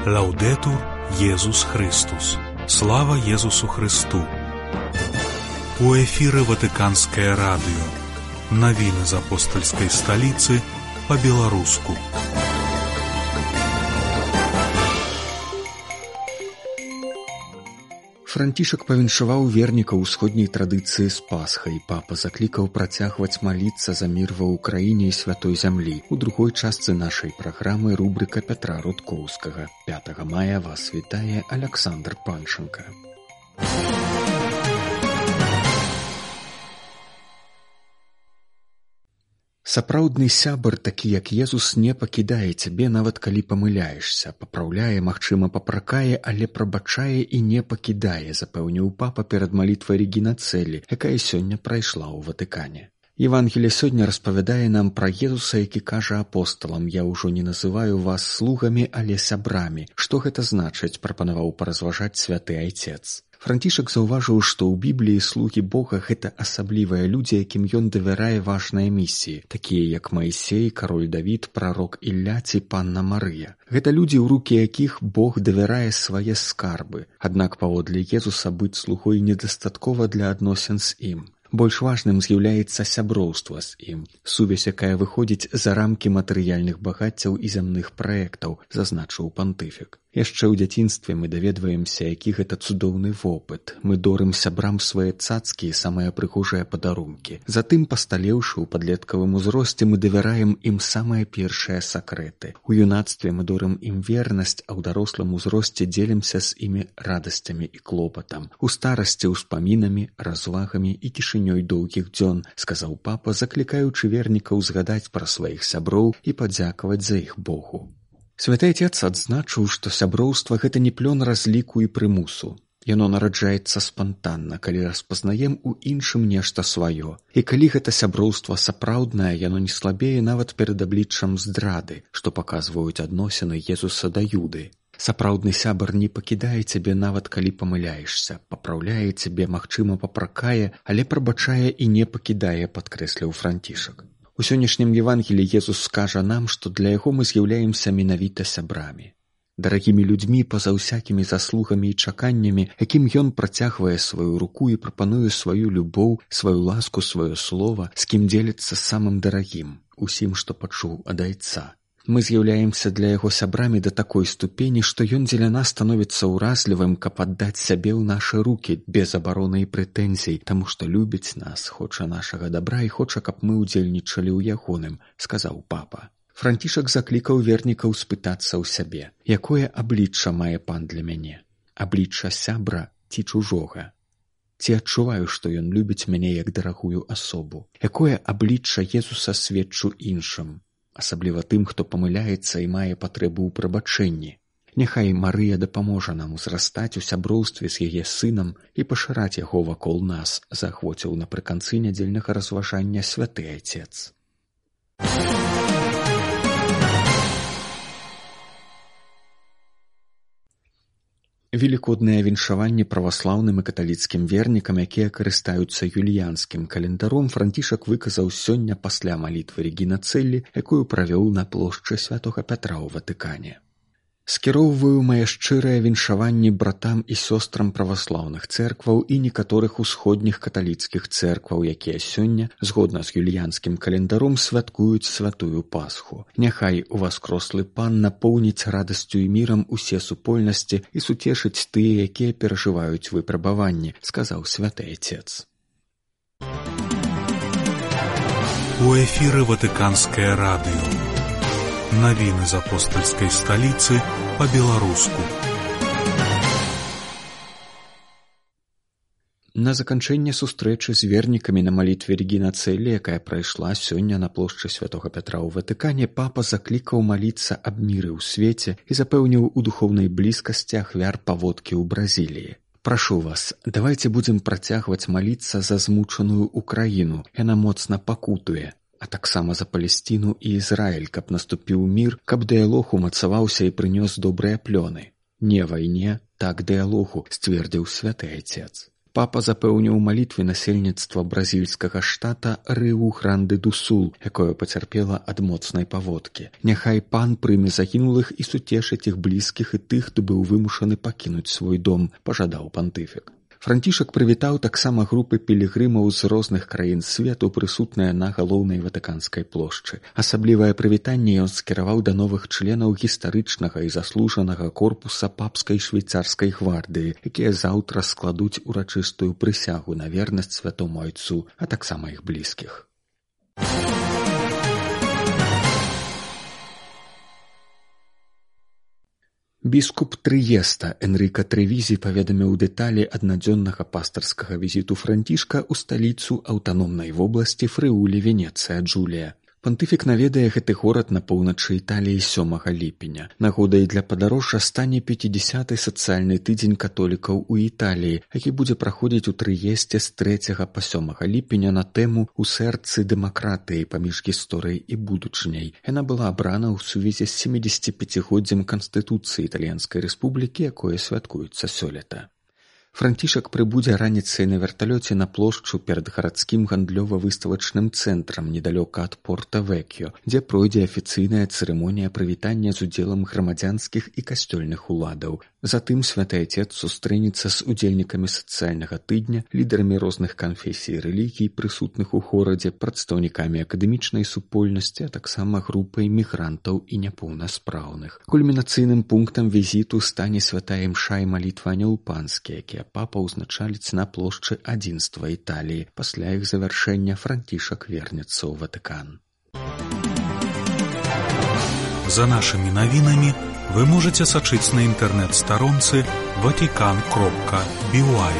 Лаўдэтур Езус Христус. Слава Езусу Христу. У эфіры Ватыканскае радыё. Навіны з апостальскай сталіцы па-беларуску. Францішак павіншаваў вернікаў усходняй традыцыі з Пасхай. Папа заклікаў працягваць маліцца за мір ва ўкраіне і святой зямлі. У другой частцы нашай праграмы рубрыка Пятра Рудкоўскага. 5 мая вас вітае Аляксандр Панченка. Сапраўдны сябар, такі як Езус, не пакідае цябе, нават калі памыляешся, папраўляе, магчыма, папракае, але прабачае і не пакідае, запэўніў папа перад малітвай Регіна Целлі, якая сёння прайшла ў Ватыкане. Евангелие сёння распавядае нам пра Езуса, які кажа апосталам: «Я ўжо не называю вас слугамі, але сябрамі». Што гэта значыць, прапанаваў паразважаць святы айцец. Францішак заўважыў, што ў Бібліі слугі Бога — гэта асаблівыя людзі, якім ён давярае важныя місіі, такія як Маісей, кароль Давід, прарок Ілля ці панна Марыя. Гэта людзі, ў рукі якіх Бог давярае свае скарбы. Аднак паводле Езуса быць слугой недастаткова для адносін з ім. Больш важным з'яўляецца сяброўства з ім, сувязь, якая выходзіць за рамкі матэрыяльных багаццяў і зямных праектаў, зазначыў пантыфік. Яшчэ ў дзяцінстве мы даведваемся, які гэта цудоўны вопыт. Мы дорым сябрам свае цацкі і самыя прыгожыя падарункі. Затым, пасталеўшы ў падлеткавым узросце, мы давяраем ім самыя першыя сакрэты. У юнацтве мы дорым ім вернасць, а ў дарослым узросце дзелімся з імі радасцямі і клопатам. У старасці ўспамінамі, развагамі і цішынёй доўгіх дзён, сказаў папа, заклікаючы вернікаў згадаць пра сваіх сяброў і падзякаваць за іх Богу. Святы Айцец адзначыў, што сяброўства — гэта не плён разліку і прымусу. Яно нараджаецца спантанна, калі распазнаем у іншым нешта сваё. І калі гэта сяброўства сапраўднае, яно не слабее нават перад абліччам здрады, што паказваюць адносіны Езуса да Юды. Сапраўдны сябар не пакідае цябе нават калі памыляешся, папраўляе цябе, магчыма, папракае, але прабачае і не пакідае, падкрэсліў Францішак. У сённяшнім Евангеліі Езус скажа нам, што для яго мы з'яўляемся менавіта сябрамі. Дарагімі людзьмі па-за ўсякімі заслугамі і чаканнямі, якім ён працягвае сваю руку і прапануе сваю любоў, сваю ласку, сваё слова, з кім дзеліцца самым дарагім, усім, што пачуў ад Айца. Мы з'яўляемся для яго сябрамі да такой ступені, што ён дзеля нас становіцца ўразлівым, каб аддаць сябе ў нашы рукі, без абароны і прэтэнзій, таму што любіць нас, хоча нашага дабра і хоча, каб мы ўдзельнічалі ў ягоным, сказаў папа. Францішак заклікаў вернікаў спытацца ў сябе: якое аблічча мае пан для мяне? Аблічча сябра ці чужога? Ці адчуваю, што ён любіць мяне як дарагую асобу? Якое аблічча Езуса сведчу іншым? Асабліва тым, хто памыляецца і мае патрэбу ў прабачэнні. Няхай Марыя дапаможа нам узрастаць у сяброўстве з яе сынам і пашыраць яго вакол нас, заахвоціў напрыканцы нядзельнага разважання святы айцец. Велікоднае віншаванне праваслаўным і каталіцкім вернікам, якія карыстаюцца юліянскім календаром, Францішак выказаў сёння пасля малітвы Регіна Целлі, якую правёў на плошчы святога Пятра ў Ватыкане. Скіроўваю мае шчырыя віншаванні братам і сёстрам праваслаўных цэркваў і некаторых усходніх каталіцкіх цэркваў, якія сёння, згодна з юліянскім календаром, святкуюць святую Пасху. Няхай уваскрослы пан напоўніць радасцю і мірам усе супольнасці і суцешыць тыя, якія перажываюць выпрабаванні, сказаў святы айцец. У эфіры Ватыканскае радыё. Навіны з апостальскай сталіцы па-беларуску. На заканчэнне сустрэчы з вернікамі на малітве Регіна Целлі, якая прайшла сёння на плошчы святога Пятра ў Ватыкане, папа заклікаў маліцца аб міры ў свеце і запэўніў у духоўнай блізкасці ахвяр паводкі ў Бразіліі. Прашу вас, давайце будзем працягваць маліцца за змучаную Украіну, яна моцна пакутуе. А таксама за Палесціну і Ізраіль, каб наступіў мір, каб дыялог умацаваўся і прынёс добрыя плёны. Не вайне, так дыялогу, сцвердзіў святы айцец. Папа запэўніў малітве насельніцтва бразільскага штата Рыу-Гранды-ду-Сул, якое пацярпела ад моцнай паводкі. Няхай пан прыме загінулых і суцешыць іх блізкіх і тых, хто быў вымушаны пакінуць свой дом, пажадаў пантыфік. Францішак прывітаў таксама групы пілігрымаў з розных краін свету, прысутныя на галоўнай ватыканскай плошчы. Асаблівае прывітанне ён скіраваў да новых членаў гістарычнага і заслужанага корпуса папскай швейцарскай гвардыі, якія заўтра складуць урачыстую прысягу на вернасць святому айцу, а таксама іх блізкіх. Біскуп Трыеста Энрыка Трэвізі паведаміў дэталі аднадзённага пастырскага візіту Францішка ў сталіцу аўтаномнай вобласці Фрыулі-Венецыя Джулія. Пантыфік наведае гэты горад на поўначы Італіі 7 ліпеня. Нагодай для падарожжа стане 50-й сацыяльны тыдзень католікаў у Італіі, які будзе праходзіць у Трыесце з 3 па 7 ліпеня на тэму «У сэрцы дэмакратыі паміж гісторыяй і будучыняй». Яна была абрана ў сувязі з 75-годдзем Канстытуцыі Італьянскай Рэспублікі, якое святкуецца сёлета. Францішак прыбудзе раніцай на верталёце на плошчу перад гарадскім гандлёва-выставачным цэнтрам недалёка ад Порта-Веккіо, дзе пройдзе афіцыйная цырымонія прывітання з удзелам грамадзянскіх і касцёльных уладаў. Затым святы айцец сустрэнецца з удзельнікамі сацыяльнага тыдня, лідарамі розных канфесій і рэлігій, прысутных у горадзе, прадстаўнікамі акадэмічнай супольнасці, а таксама групай мігрантаў і няпоўнаспраўных. Кульмінацыйным пунктам візіту стане святая імша і малітва Анёл Панскі, якія папа ўзначаліць на плошчы адзінства Італіі. Пасля іх завяршэння Францішак вернецца ў Ватыкан. За нашими навінамі вы можете сачыць на інтэрнэт-старонцы vatican.by.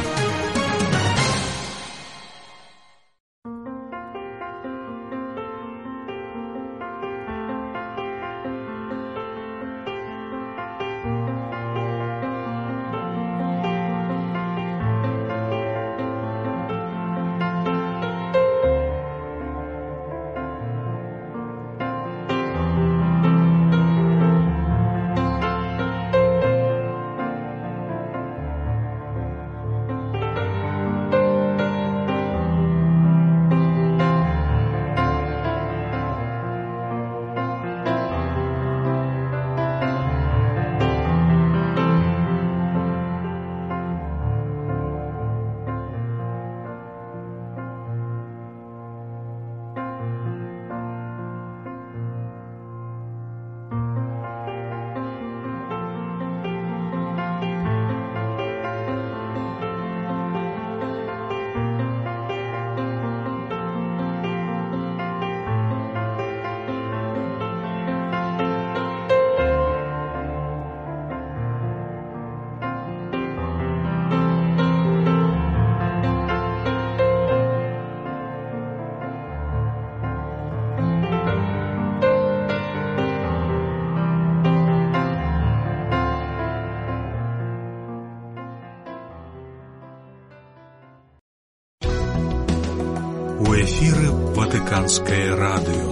У эфіры Ватыканскае радыё.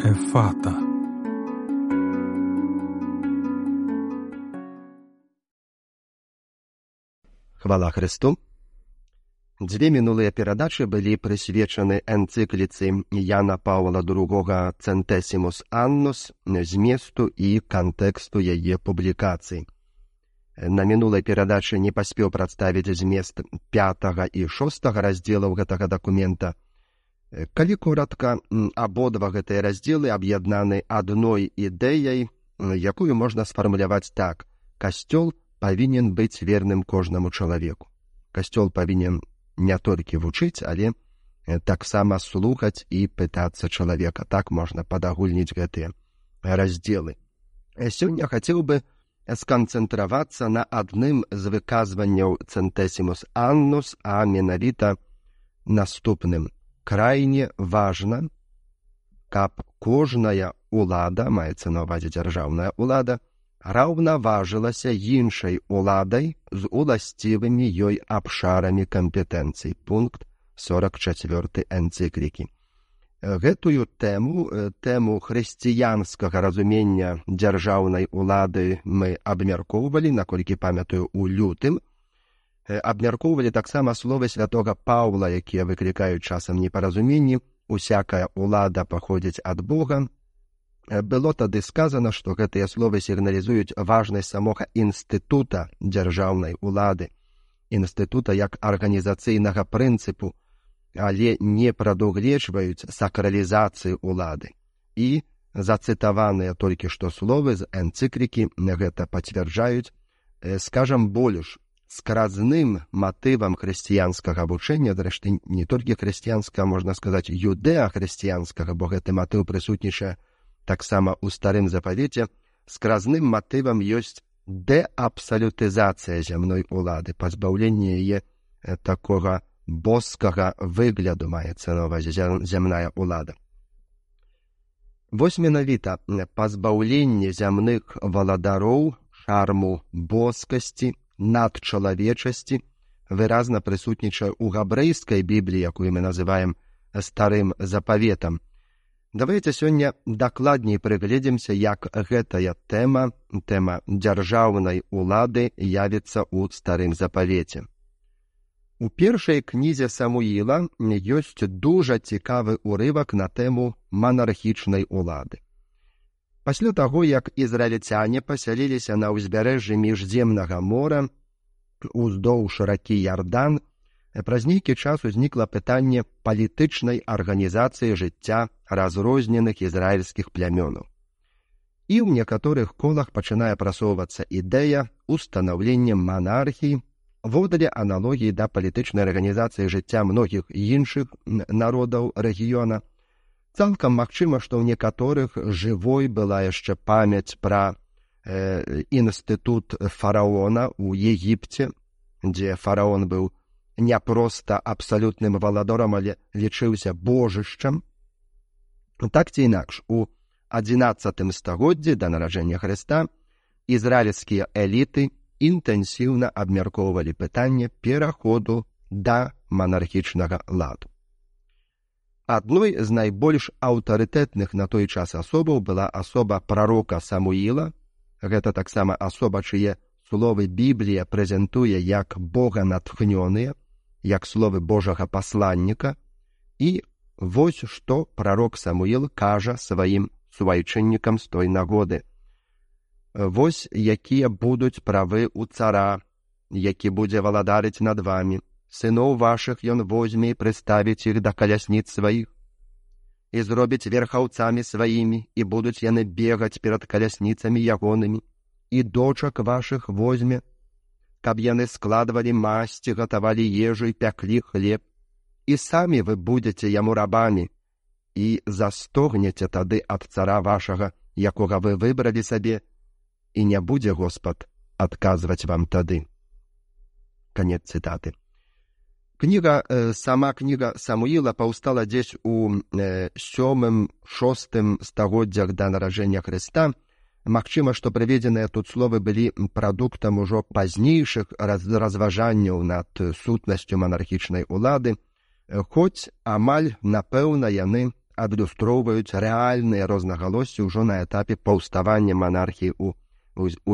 Ефата. Хвала Христу! Дзве мінулыя перадачы былі прысвечаны энцыкліцы Яна Паўла II «Centesimus Annus», зместу і кантэксту яе публікацый. На мінулай перадачы не паспеў прадставіць змест 5 і 6 раздзелаў гэтага дакумента. Калі коратка, абодва гэтыя раздзелы аб'яднаны адной ідэяй, якую можна сфармуляваць так: касцёл павінен быць верным кожнаму чалавеку. Касцёл павінен не толькі вучыць, але таксама слухаць і пытацца чалавека. Так можна падагульніць гэтыя раздзелы. Сёння хацеў бы сканцэнтравацца на адным з выказванняў «Centesimus Annus», а менавіта наступным. Крайне важна, каб кожная ўлада, маецца на ўвазе дзяржаўная ўлада, раўнаважылася іншай уладай з уласцівымі ёй абшарамі кампетэнцый. Пункт 44 энцыклікі. Гэтую тэму хрысціянскага разумення дзяржаўнай улады мы абмяркоўвалі, наколькі памятаю, у лютым. Абмяркоўвалі таксама словы святога Паўла, якія выклікаюць часам непаразуменні. Усякая улада паходзіць ад Бога. Было тады сказана, што гэтыя словы сігналізуюць важнасць самога інстытута дзяржаўнай улады, інстытута як арганізацыйнага прынцыпу, але не прадугледжваюць сакралізацыі улады. І зацытаваныя толькі што словы з энцыклікі гэта пацвярджаюць, скажам больш, скразным матывам хрысціянскага вучэння, зрэшты не толькі хрысціянскага, можна сказаць, юдэа-хрысціянскага, бо гэты матыў прысутнічае таксама ў старым запавеце, скразным матывам ёсць дэабсалютызацыя зямной улады, пазбаўленне яе такога боскага выгляду, маецца на ўвазе зямная улада. Вось менавіта пазбаўленне зямных валадароў, шарму боскасці, надчалавечасці выразна прысутнічае ў габрэйскай бібліі, якую мы называем старым запаветам. Давайте сёння дакладней прыгледзімся, як гэтая тэма дзяржаўнай улады явіцца ў старым запавеце. У першай кнізе Самуіла ёсць дужа цікавы ўрывак на тэму манархічнай улады. Пасля таго, як ізраільцяне пасяліліся на ўзбярэжжы міжземнага мора, уздоўж ракі Ярдан, праз нейкі час узнікла пытанне палітычнай арганізацыі жыцця разрозненых ізраільскіх плямёнаў. І ў некаторых колах пачынае прасоўвацца ідэя устанаўлення манархіі водалі аналогіі да палітычнай арганізацыі жыцця многіх іншых народаў рэгіёна. Цалкам магчыма, што ў некаторых жывой была яшчэ памяць пра інстытут фараона ў Егіпце, дзе фараон быў не проста абсалютным валадорам, але лічыўся божышчам. Так ці інакш, у 11 стагоддзі да нараджэння Хрыста ізраільскія эліты інтэнсіўна абмяркоўвалі пытанне пераходу да манархічнага ладу. Адной з найбольш аўтарытэтных на той час асобаў была асоба прарока Самуіла. Гэта таксама асоба, чые словы Біблія прэзентуе як боганатхнёныя, як словы Божага пасланніка, і вось што прарок Самуіл кажа сваім суайчыннікам з той нагоды. Вось якія будуць правы ў цара, які будзе валадарыць над вамі. Сыноў вашых ён возьме і прыставіць іх да калясніц сваіх, і зробіць верхаўцамі сваімі, і будуць яны бегаць перад калясніцамі ягонымі, і дочак вашых возьме, каб яны складвалі масці, гатавалі ежу і пяклі хлеб, і самі вы будзеце яму рабамі, і застогнеце тады ад цара вашага, якога вы выбралі сабе, і не будзе Господ адказваць вам тады. Канец цытаты. Сама кніга Самуіла паўстала дзесь у 7-6 стагоддзях да нараджэння Хрыста. Магчыма, што прыведзеныя тут словы былі прадуктам ужо пазнейшых разважанняў над сутнасцю монархічнай улады, хоць амаль, напэўна, яны адлюстроўваюць рэальныя рознагалоссі ўжо на этапе паўставання монархіі у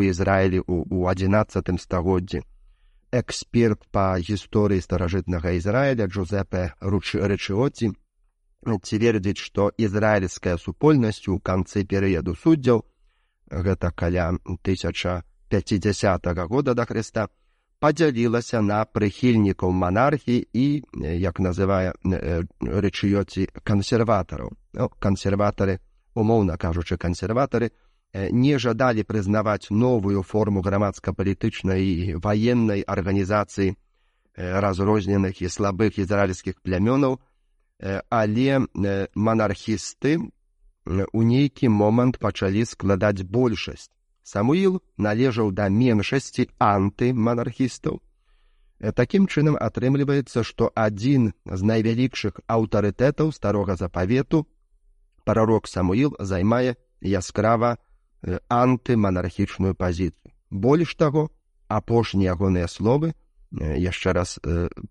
Ізраілі у 11 стагоддзі. Эксперт па гісторыі старажытнага Ізраіля Джузепе Рычыоці цвердзіць, што ізраільская супольнасць у канцы перыяду суддзяў, гэта каля 1050 года да Хрыста, падзялілася на прыхільнікаў манархіі і, як называе Рычыоці, кансерватараў. Кансерватары, умоўна кажучы, кансерватары, не жадалі прызнаваць новую форму грамадска-палітычнай і ваеннай арганізацыі разрозненых і слабых ізраільскіх плямёнаў, але монархісты у нейкі момант пачалі складаць большасць. Самуіл належаў да меншасці антыманархістаў. Такім чынам атрымліваецца, што адзін з найвялікшых аўтарытэтаў старога запавету, прарок Самуіл, займае яскрава антыманархічную пазіцыю. Больш таго, апошнія ягоныя словы, яшчэ раз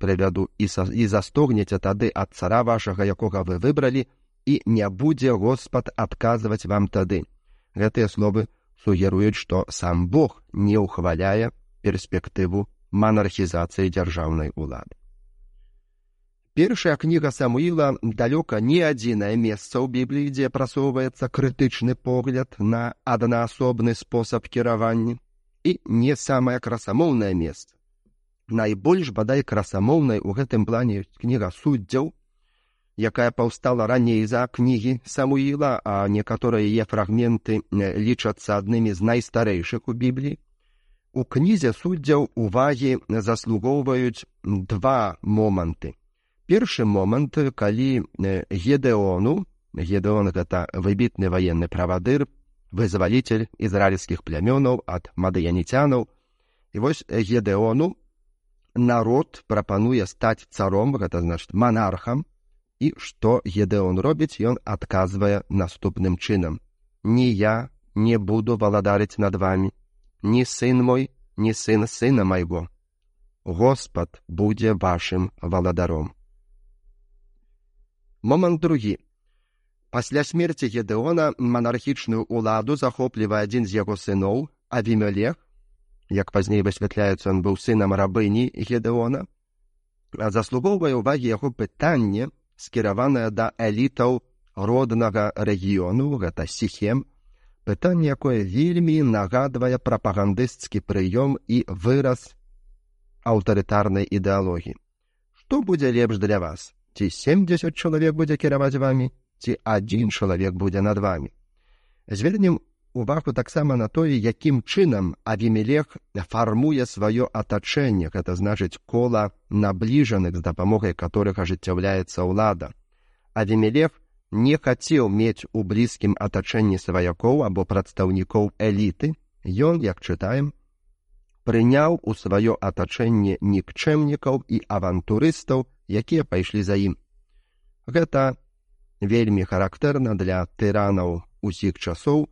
прывяду, і застогнеце тады ад цара вашага, якога вы выбралі, і не будзе Господ адказваць вам тады. Гэтыя словы сугеруюць, што сам Бог не ўхваляе перспектыву манархізацыі дзяржаўнай улады. Першая кніга Самуіла далёка не адзінае месца ў Бібліі, дзе прасоўваецца крытычны погляд на аднаасобны спосаб кіравання, і не самае красамоўнае месца. Найбольш, бадай, красамоўнай у гэтым плане ёсць кніга Суддзяў, якая паўстала раней за кнігі Самуіла, а некаторыя яе фрагменты лічацца аднымі з найстарэйшых у Бібліі. У кнізе Суддзяў увагі заслугоўваюць два моманты. Першы момант, калі Гедеон гэта выбітны ваенны правадыр, вызвалитель ізраільскіх плямёнаў ад мадыяніцянаў. І вось Гедеону народ прапануе стаць царом, гэта значыць манархам, і што Гедеон робіць, ён адказвае наступным чынам: «Ні я не буду валадарыць над вами, ні сын мой, ні сын сына майго. Господ будзе вашым валадаром». Момант другі. Пасля смерці Гедеона манархічную уладу захоплівае адзін з яго сыноў, Авімелех. Як пазней высвятляецца, ён быў сынам рабыні Гедеона. Заслугоўвае ўвагі яго пытанне, скіраванае да элітаў роднага рэгіёну, гэта Сіхем, пытанне, якое вельмі нагадвае прапагандысцкі прыём і выраз аўтарытарнай ідэалогіі. Што будзе лепш для вас? Ці 70 чалавек будзе кіраваць вамі, ці адзін чалавек будзе над вамі? Звернем увагу таксама на тое, якім чынам Авімелех фармуе сваё атачэнне, гэта значыць кола набліжаных, з дапамогай которых ажыццяўляецца ўлада. Авімелех не хацеў мець у блізкім атачэнні сваякоў або прадстаўнікоў эліты. Ён, як чытаем, прыняў у сваё атачэнне нікчэмнікаў і авантурыстаў, якія пайшлі за ім. Гэта вельмі характэрна для тыранаў усіх часоў,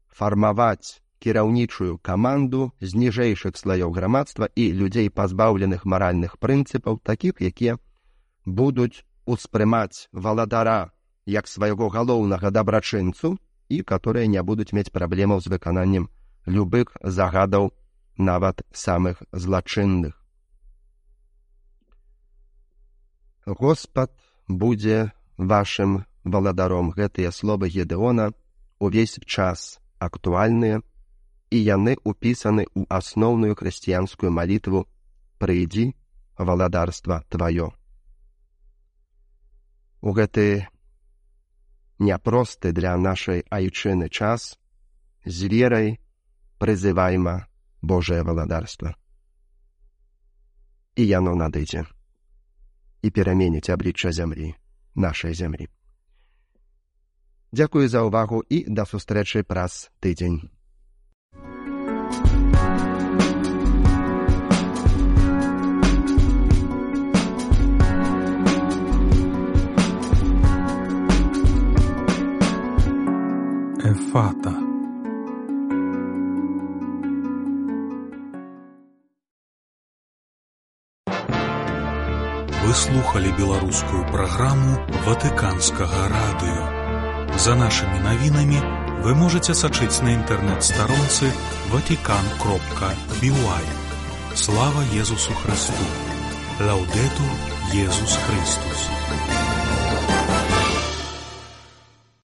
фармаваць кіраўнічую каманду з ніжэйшых слаёў грамадства і людзей, пазбаўленых маральных прынцыпаў, такіх, якія будуць успрымаць валадара як свайго галоўнага дабрачынцу і которые не будуць мець праблемаў з выкананнем любых загадаў, нават самых злачынных. Господ будзе вашым валадаром. Гэтыя словы Гедеона увесь час актуальныя, і яны ўпісаны ў асноўную хрысціянскую малітву «Прыйдзі, валадарства тваё». У гэты няпросты для нашай айчыны час з верай прызывайма Божае валадарства. І яно надыдзе і пераменіць аблічча зямлі, нашай зямлі. Дзякую за ўвагу і да сустрэчы праз тыдзень. Ефата. Вы слухали беларускую праграму Ватыканскага радыё. За нашымі навінамі вы можаце сачыць на інтэрнэт-старонцы vatican.by. Слава Езусу Христу! Лаўдетур Езус Христус!